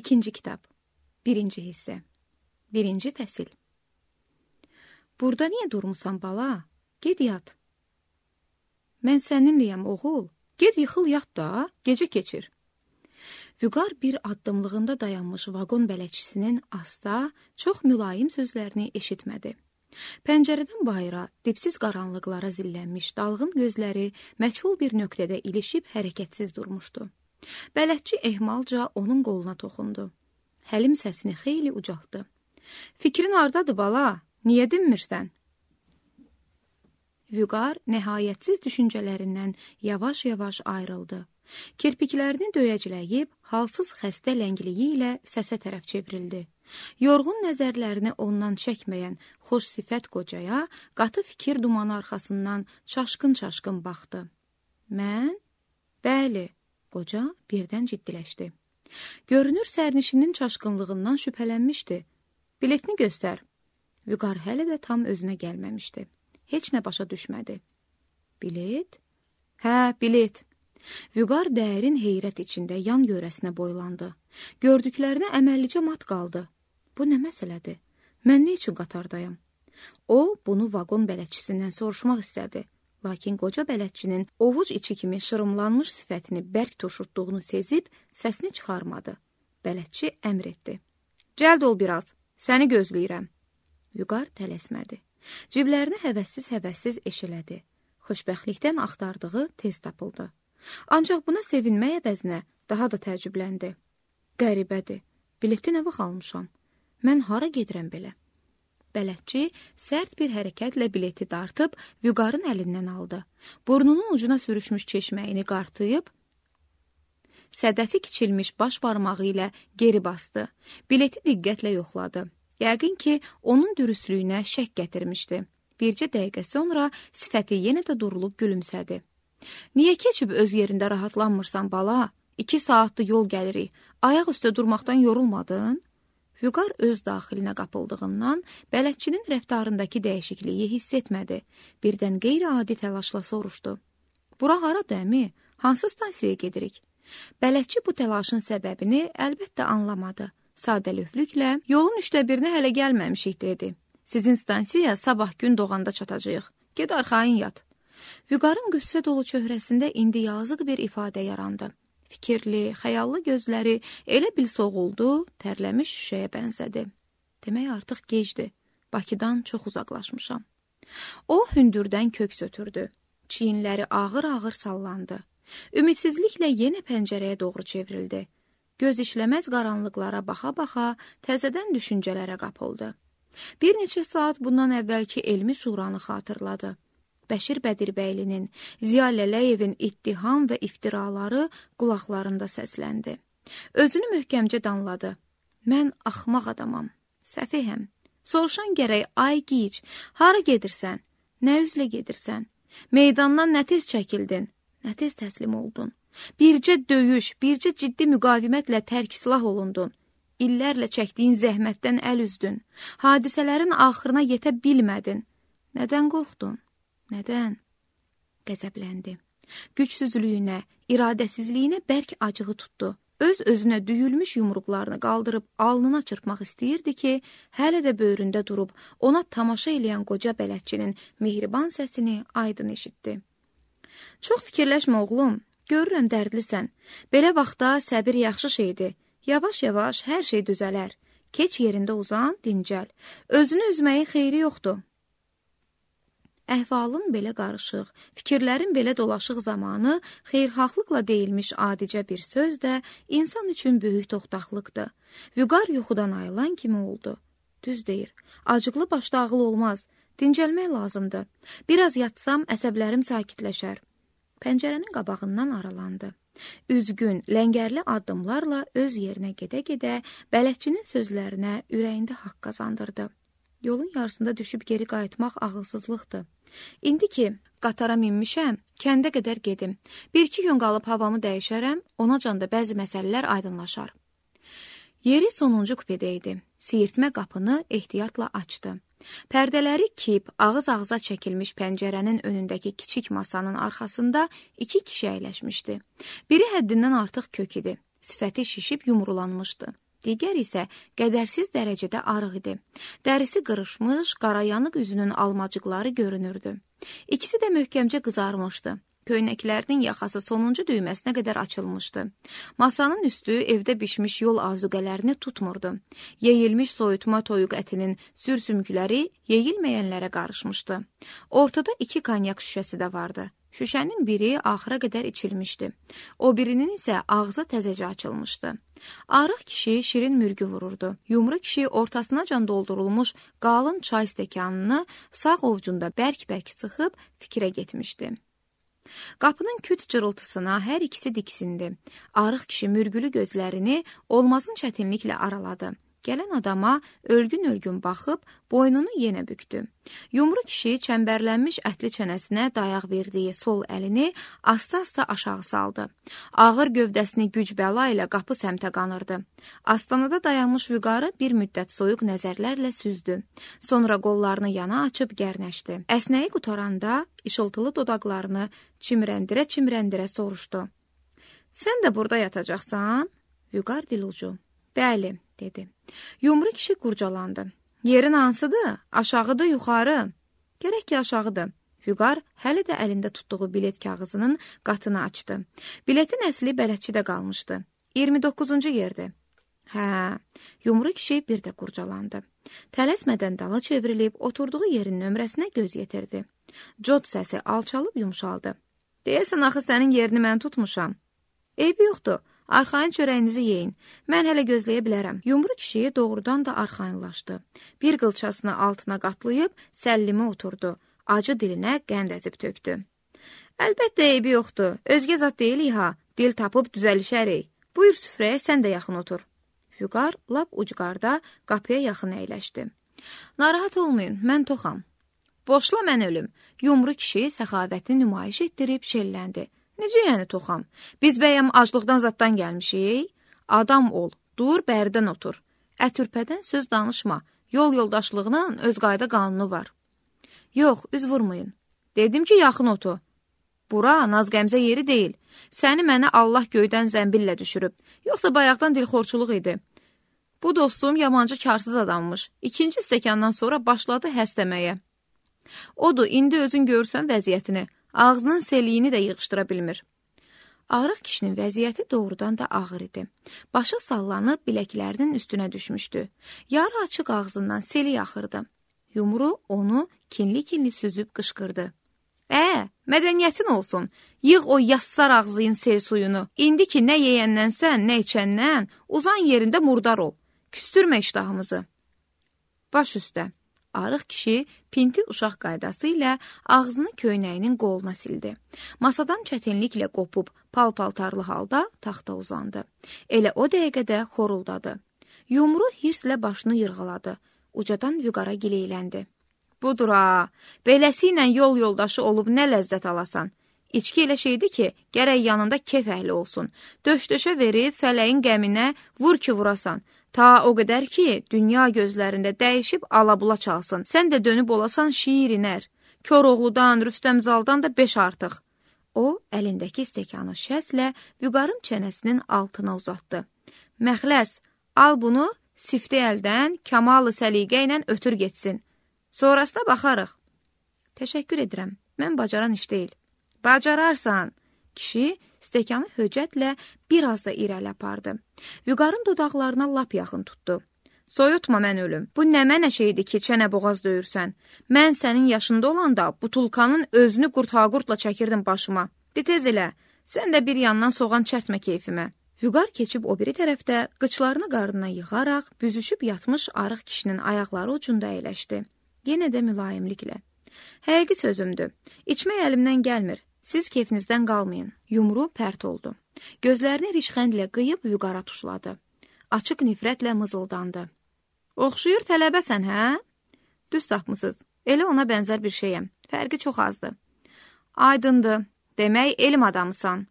İkinci kitab, 1-ci hissə, 1-ci fəsil. Burada niyə durmusan bala? Ged yat. Mən səninləyəm oğul, ged yıxıl yat da, gecə keçir. Vüqar bir addımlığında dayanmış vaqon bələdçisinin asta, çox mülayim sözlərini eşitmədi. Pəncərədən bayıra, dipsiz qaranlıqlara zillənmiş dalğın gözləri məchul bir nöqtədə ilişib hərəkətsiz durmuşdu. Bələdçi ehmalca onun qoluna toxundu. Həlim səsini xeyli ucaltdı. Fikrin hardadır bala? Niyə dinmirsən? Vüqar nəhayətsiz düşüncələrindən yavaş-yavaş ayrıldı. Kirpiklərini döyəcləyib, halsız xəstə ləngliyi ilə səsə tərəf çevrildi. Yorğun nəzərlərini ondan çəkməyən xoş sifət qocaya qatı fikir dumanı arxasından çaşqın-çaşqın baxdı. Mən? Bəli, qoca birdən ciddiləşdi. Görünür sərnişinin çaşqınlığından şübhələnmişdi. Biletini göstər. Vüqar hələ də tam özünə gəlməmişdi. Heç nə başa düşmədi. Bilet? Hə, bilet. Vüqar dərin heyrət içində yan yörəsinə boylandı. Gördüklərinə əməllicə mat qaldı. Bu nə məsələdir? Mən nə üçün qatardayam? O, bunu vaqon bələdçisindən soruşmaq istədi. Lakin qoca bələdçinin ovuc içi kimi şırımlanmış sifətini bərk turşutduğunu sezib, səsini çıxarmadı. Bələdçi əmr etdi. Cəld ol biraz, səni gözləyirəm. Vüqar tələsmədi. Ciblərini həvəssiz eşələdi. Xoşbəxtlikdən axtardığı tez tapıldı. Ancaq buna sevinmək əvəzinə daha da təəccübləndi. Qəribədir, bileti nə vaxt almışam? Mən hara gedirəm belə? Bələdçi sərt bir hərəkətlə bileti dartıb Vüqarın əlindən aldı. Burnunun ucuna sürüşmüş çeşməyini qartıyıb, sədəfi kiçilmiş baş barmağı ilə geri bastı. Bileti diqqətlə yoxladı. Yəqin ki, onun dürüstlüyünə şək gətirmişdi. Bircə dəqiqə sonra sifəti yenə də durulub gülümsədi. Niyə keçib öz yerində rahatlanmırsan bala? 2 saatdır yol gəlirik. Ayaq üstə durmaqdan yorulmadın? Vüqar öz daxilinə qapıldığından bələdçinin rəftarındakı dəyişikliyi hiss etmədi. Birdən qeyri-adi təlaşla soruşdu. Bura haradır əmi? Hansı stansiyaya gedirik? Bələdçi bu təlaşın səbəbini əlbəttə anlamadı. Sadəlövlüklə, yolun 1/3-nə hələ gəlməmişik, dedi. Sizin stansiyaya sabah gün doğanda çatacağıq. Ged arxayın yat. Vüqarın qüssə dolu çöhrəsində indi yazıq bir ifadə yarandı. Fikirli, xəyallı gözləri elə bil soğuldu, tərləmiş şüşəyə bənzədi. Demək artıq gecdir, Bakıdan çox uzaqlaşmışam. O hündürdən köks ötürdü. Çiyinləri ağır-ağır sallandı. Ümidsizliklə yenə pəncərəyə doğru çevrildi. Göz işləməz qaranlıqlara baxa-baxa təzədən düşüncələrə qapıldı. Bir neçə saat bundan əvvəlki elmi şuranı xatırladı. Bəşir Bədirbəylinin, Ziya Lələyevin ittiham və iftiraları qulaqlarında səsləndi. Özünü möhkəmcə danladı. Mən axmaq adamam, səfihəm. Soruşan gərək, ay gic, hara gedirsən? Nə üzlə gedirsən? Meydandan nə tez çəkildin? Nə tez təslim oldun? Bircə döyüş, bircə ciddi müqavimətlə tərk silah olundun. İllərlə çəkdiyin zəhmətdən əl üzdün. Hadisələrin axırına yetə bilmədin. Nədən qorxdun? Nədən? Qəzəbləndi. Gücsüzlüyünə, iradəsizliyinə bərk acığı tutdu. Öz-özünə düyülmüş yumruqlarını qaldırıb alnına çırpmaq istəyirdi ki, hələ də böyründə durub ona tamaşa eləyən qoca bələdçinin mehriban səsini aydın eşitdi. Çox fikirləşmə oğlum, görürəm dərdlisən. Belə vaxtda səbir yaxşı şeydir. Yavaş-yavaş hər şey düzələr. Keç yerində uzan, dincəl. Özünü üzməyin xeyri yoxdur. Əhvalın belə qarışıq, fikirlərin belə dolaşıq zamanı xeyirxahlıqla deyilmiş adicə bir söz də insan üçün böyük toxtaqlıqdır. Vüqar yuxudan ayılan kimi oldu. Düz deyir, acıqlı başda ağıl olmaz, dincəlmək lazımdır. Biraz yatsam əsəblərim sakitləşər. Pəncərənin qabağından aralandı. Üzgün, ləngərli addımlarla öz yerinə gedə-gedə bələdçinin sözlərinə ürəyində haqq qazandırdı. Yolun yarısında düşüb geri qayıtmaq ağılsızlıqdır. İndi ki, qatara minmişəm, kəndə qədər gedim. 1-2 gün qalıb havamı dəyişərəm, onacan da bəzi məsələlər aydınlaşar. Yeri sonuncu kupedə idi. Siyirtmə qapını ehtiyatla açdı. Pərdələri kip, ağız-ağıza çəkilmiş pəncərənin önündəki kiçik masanın arxasında 2 kişi əyləşmişdi. Biri həddindən artıq kök idi. Sifəti şişib yumrulanmışdı. digər isə qədərsiz dərəcədə arıq idi. Dərisi qırışmış, qarayanıq üzünün almacıqları görünürdü. İkisi də möhkəmcə qızarmışdı. Köynəklərinin yaxası sonuncu düyməsinə qədər açılmışdı. Masanın üstü evdə bişmiş yol azuqələrini tutmurdu. Yeyilmiş soyutma toyuq ətinin sürsümükləri yeyilməyənlərə qarışmışdı. Ortada 2 konyak şüşəsi də vardı. Şüşənin biri axıra qədər içilmişdi. O birinin isə ağzı təzəcə açılmışdı. Arıq kişi şirin mürgü vururdu. Yumru kişi ortasınacan doldurulmuş qalın çay stəkanını sağ ovcunda bərk-bərk sıxıb fikrə getmişdi. Qapının küt cırıltısına hər ikisi diksindi. Arıq kişi mürgülü gözlərini olmazın çətinliklə araladı. Gələn adama ölgün-ölgün baxıb boynunu yenə büktü. Yumru kişi çəmbərlənmiş ətli çənəsinə dayaq verdiyi sol əlini asta-asta aşağı saldı. Ağır gövdəsini güc-bəla ilə qapı səmtə qanırdı. Astanada dayanmış Vüqarı bir müddət soyuq nəzərlərlə süzdü. Sonra qollarını yana açıb gərnəşdi. Əsnəyi qutaranda işıltılı dodaqlarını çimrəndirə-çimrəndirə soruşdu. Sən də burada yatacaqsan? Vüqar dilucu. Bəli, dedi. Yumru kişi qurcalandı. Yerin hansıdır? Aşağıdır, yuxarı. Gərək ki, aşağıdır. Vüqar hələ də əlində tutduğu bilet kağızının qatını açdı. Biletin əsli bələdçidə qalmışdı. 29-cu yerdir. Hə, Yumru kişi bir də qurcalandı. Tələsmədən dala çevrilib, oturduğu yerin nömrəsinə göz yetirdi. Cod səsi alçalıb yumşaldı. Deyəsən, axı sənin yerini mən tutmuşam. Eybi yoxdur. Arxayın çörəyinizi yeyin. Mən hələ gözləyə bilərəm. Yumru kişi doğrudan da arxayınlaşdı. Bir qılçasını altına qatlayıb səllimi oturdu. Acı dilinə qənd əzib tökdü. Əlbəttə eybi yoxdur. Özgə zat deyilik ha. Dil tapıb düzəlişərik. Buyur süfrəyə, sən də yaxın otur. Vüqar lap ucqarda qapıya yaxın əyləşdi. Narahat olmayın, mən toxam. Boşla mən ölüm. Yumru kişi səxavətini nümayiş etdirib şelləndi. Necə yəni toxam? Biz bəyəm aclıqdan zaddan gəlmişik? Adam ol, dur, bərdən otur. Ətürpədən söz danışma. Yol yoldaşlığının öz qayda qanunu var. Yox, üz vurmayın. Dedim ki, yaxın otur. Bura naz-qəmzə yeri deyil. Səni mənə Allah göydən zəmbillə düşürüb. Yoxsa bayaqdan dilxorçuluq idi. Bu dostum yabancı karsız adammış. 2-ci stəkandan sonra başladı həstəməyə. Odur, indi özün görürsən vəziyyətini. Ağzının seliyini də yığışdıra bilmir. Arıq kişinin vəziyyəti doğrudan da ağır idi. Başı sallanıb biləklərinin üstünə düşmüşdü. Yarı açıq ağzından seli axırdı. Yumru onu kinli-kinli süzüb qışqırdı. Mədəniyyətin olsun. Yığ o yassar ağzıyın sel suyunu. İndi ki, nə yeyəndənsən, nə içəndən, uzan yerində murdar ol. Küstürmə iştahımızı. Baş üstə. Arıq kişi pinti uşaq qaydası ilə ağzını köynəyinin qoluna sildi. Masadan çətinliklə qopub pal-paltarlı halda taxta uzandı. Elə o dəqiqədə xoruldadı. Yumru hirslə başını yırğaladı. Ucadan Vüqara gileyləndi. Budur ha, beləsi ilə yol yoldaşı olub nə ləzzət alasan. İçki elə şeydir ki, gərək yanında kef əhli olsun. Döş-döşə verib fələyin qəminə vur ki vurasan. Ta o qədər ki, dünya gözlərində dəyişib alabula çalsın. Sən də dönüb olasan şiir iner. Koroğludan, Rüstəmzaldan da 5 artıq. O, əlindəki stəkanı şəslə Vüqarın çənəsinin altına uzatdı. Məxləs, al bunu, sifti əldən, kamalı səliqə ilə ötür getsin. Sonrasına baxarıq. Təşəkkür edirəm, mən bacaran iş deyil. Bacararsan. Kişi stəkanı höcətlə biraz da irəli apardı. Vüqarın dodaqlarına lap yaxın tutdu. Soyutma mən ölüm. Bu nə mənə şeydir ki, çənə boğaz döyürsən. Mən sənin yaşında olanda butulkanın özünü qurt-haqurtla çəkirdim başıma. De tez elə, sən də bir yandan soğan çərtmə keyfimə. Vüqar keçib o biri tərəfdə qıçlarını qarnına yığaraq, büzüşüb yatmış arıq kişinin ayaqları ucunda əyləşdi. Yenə də mülayimliklə. Həqiqi sözümdür. İçmək əlimdən gəlmir. Siz keyfinizdən qalmayın. Yumru pərt oldu. Gözlərini rişxəndlə qıyıb Vüqara tuşladı. Açıq nifrətlə mızıldandı. Oxşuyur tələbəsən, hə? Düz tapmısınız. Elə ona bənzər bir şeyəm. Fərqi çox azdır. Aydındır. Demək, elm adamısan.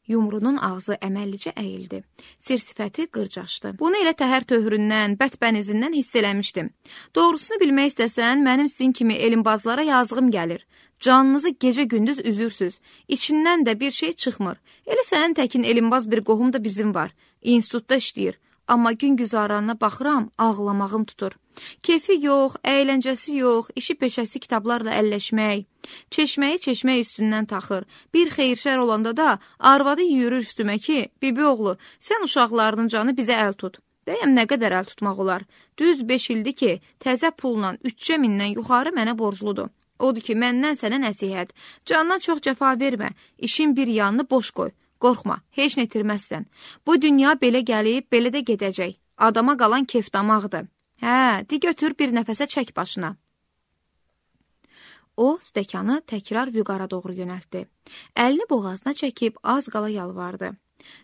Yumrunun ağzı əməllicə əyildi. Sir-sifəti qırcaşdı. Bunu elə təhər töhründən, bətbənizindən hiss eləmişdim. Doğrusunu bilmək istəsən, mənim sizin kimi elmbazlara yazığım gəlir. Canınızı gecə-gündüz üzürsüz. İçindən də bir şey çıxmır. Elə sənin təkin elmbaz bir qohum da bizim var. İnstitutda işləyir. Amma gün güzaranına baxıram, ağlamağım tutur. Keyfi yox, əyləncəsi yox, işi peşəsi kitablarla əlləşmək, çeşməyi çeşmək üstündən taxır. Bir xeyirşər olanda da arvadı yürür üstümə ki, bibi oğlu, sən uşaqlarının canı bizə əl tut. Bəyəm nə qədər əl tutmaq olar? Düz 5 ildir ki, təzə pulla 3 mindən yuxarı mənə borcludur. Odur ki, məndən sənə nəsihət. Candan çox cəfa vermə, işin bir yanını boş qoy. Qorxma, heç nə itirməzsən. Bu dünya belə gəlib, belə də gedəcək. Adama qalan kef damaqdır. Hə, de götür bir nəfəsə çək başına. O, stəkanı təkrar Vüqara doğru yönəltdi. Əlini boğazına çəkib az qala yalvardı.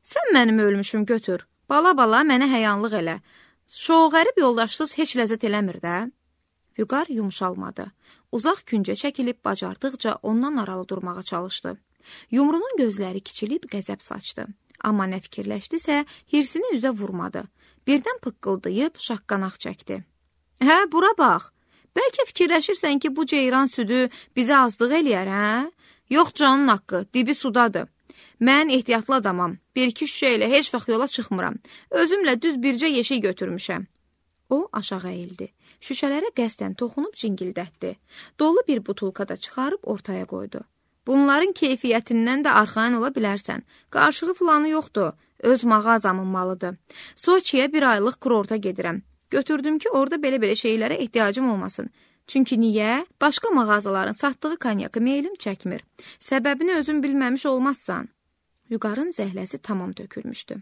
Sən mənim ölmüşüm götür. Bala-bala mənə həyanlıq elə. Şoğərib yoldaşsız heç ləzzət eləmir də. Vüqar yumşalmadı. Uzaq küncə çəkilib bacardıqca ondan aralı durmağa çalışdı. Yumrunun gözləri kiçilib qəzəb saçdı. Amma nə fikirləşdisə, hirsini üzə vurmadı. Birdən pıqqıldayıb şaqqanaq çəkdi. Hə, bura bax. Bəlkə fikirləşirsən ki, bu ceyran südü bizə azlıq eləyər, hə? Yox canın haqqı, dibi sudadır. Mən ehtiyatlı adamam. Bir-iki şüşə ilə heç vaxt yola çıxmıram. Özümlə düz bircə yeşik götürmüşəm. O aşağı əyildi. Şüşələrə qəsdən toxunub cingildətdi. Dolu bir butulka da çıxarıb ortaya qoydu. Bunların keyfiyyətindən də arxayın ola bilərsən. Qarşığı filanı yoxdur. Öz mağazamın malıdır. Soçiyə bir aylıq kurorta gedirəm. Götürdüm ki, orada belə-belə şeylərə ehtiyacım olmasın. Çünki niyə? Başqa mağazaların satdığı konyakı meylim çəkmir. Səbəbini özün bilməmiş olmazsan. Vüqarın zəhləsi tamam tökülmüşdü.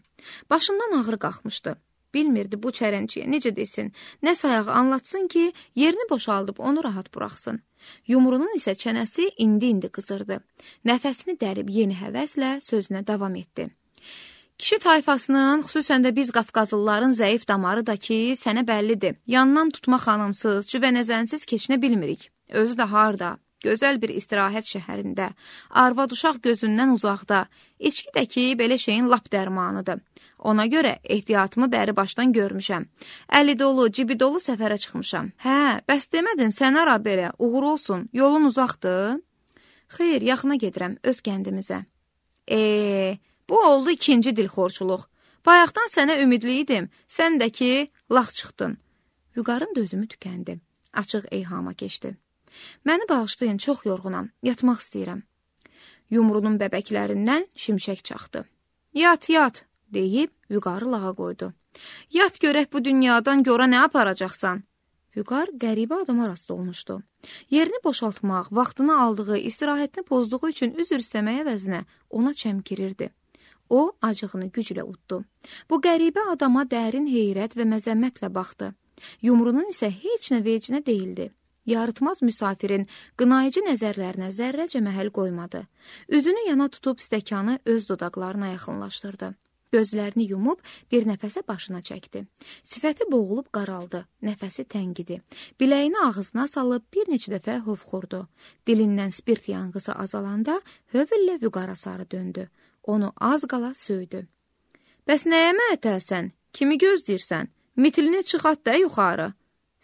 Başından ağrı qalxmışdı. Bilmirdi bu çərənciyə necə desin, nə sayağı anlatsın ki, yerini boşaldıb onu rahat buraxsın. Yumrunun isə çənəsi indi-indi qızırdı. Nəfəsini dərib yeni həvəslə sözünə davam etdi. Kişi tayfasının, xüsusən də biz Qafqazlıların zəif damarı da ki, sənə bəllidir. Yandan tutma xanımsız, cüvənəzənsiz keçinə bilmirik. Özü də harda, gözəl bir istirahət şəhərində, arvad uşaq gözündən uzaqda, içki də ki, belə şeyin lap dərmanıdır. Ona görə ehtiyatımı bəri başdan görmüşəm. Əli dolu, cibi dolu səfərə çıxmışam. Hə, bəs demədin, sən ara belə, uğur olsun, yolun uzaqdır. Xeyr, yaxına gedirəm, öz kəndimizə. Bu oldu ikinci dilxorçuluq. Bayaqdan sənə ümidli idim, sən də ki, lax çıxdın. Vüqarın dözümü tükəndi, açıq eyhama keçdi. Məni bağışlayın, çox yorğunam, yatmaq istəyirəm. Yumrunun bəbəklərindən şimşək çaxdı. Yat, yat, deyib Vüqarı lağa qoydu. Yat görək bu dünyadan gora nə aparacaqsan? Vüqar qəribə adama rast olmuşdu. Yerini boşaltmaq, vaxtını aldığı, istirahətini pozduğu üçün üzr istəməyə əvəzinə ona çəmkirirdi. O, acığını güclə uddu. Bu qəribə adama dərin heyrət və məzəmmətlə baxdı. Yumrunun isə heç nə vecinə deyildi. Yarıtmaz müsafirin qınayıcı nəzərlərinə zərrəcə məhəl qoymadı. Üzünü yana tutub stəkanı öz dodaqlarına yaxınlaşdırdı. Gözlərini yumub bir nəfəsə başına çəkdi. Sifəti boğulub qaraldı, nəfəsi təngidi. Biləyini ağzına salıb bir neçə dəfə hovxurdu. Dilindən spirt yanğısı azalanda hövüllə Vüqara sarı döndü. Onu az qala söydü. Bəs nəyə məətəlsən? Kimi gözləyirsən? Mitilini çıxart da yuxarı.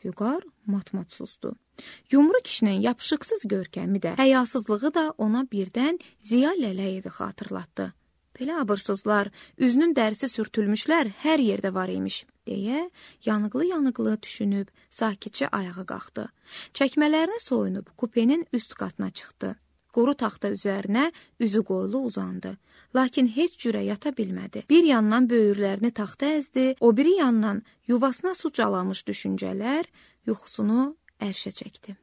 Vüqar mat-mat susdu. Yumru kişinin yapışıqsız görkəmi də, həyasızlığı da ona birdən Ziya Lələyevi xatırlatdı. Belə abırsızlar, üzünün dərisi sürtülmüşlər hər yerdə var imiş, deyə yanıqlı-yanıqlı düşünüb sakitcə ayağa qalxdı. Çəkmələrini soyunub kupenin üst qatına çıxdı. Quru taxta üzərinə üzü qoyulu uzandı. Lakin heç cürə yata bilmədi. Bir yandan böyürlərini taxta əzdi, o biri yandan yuvasına su calamış düşüncələr yuxusunu ərşə çəkdi.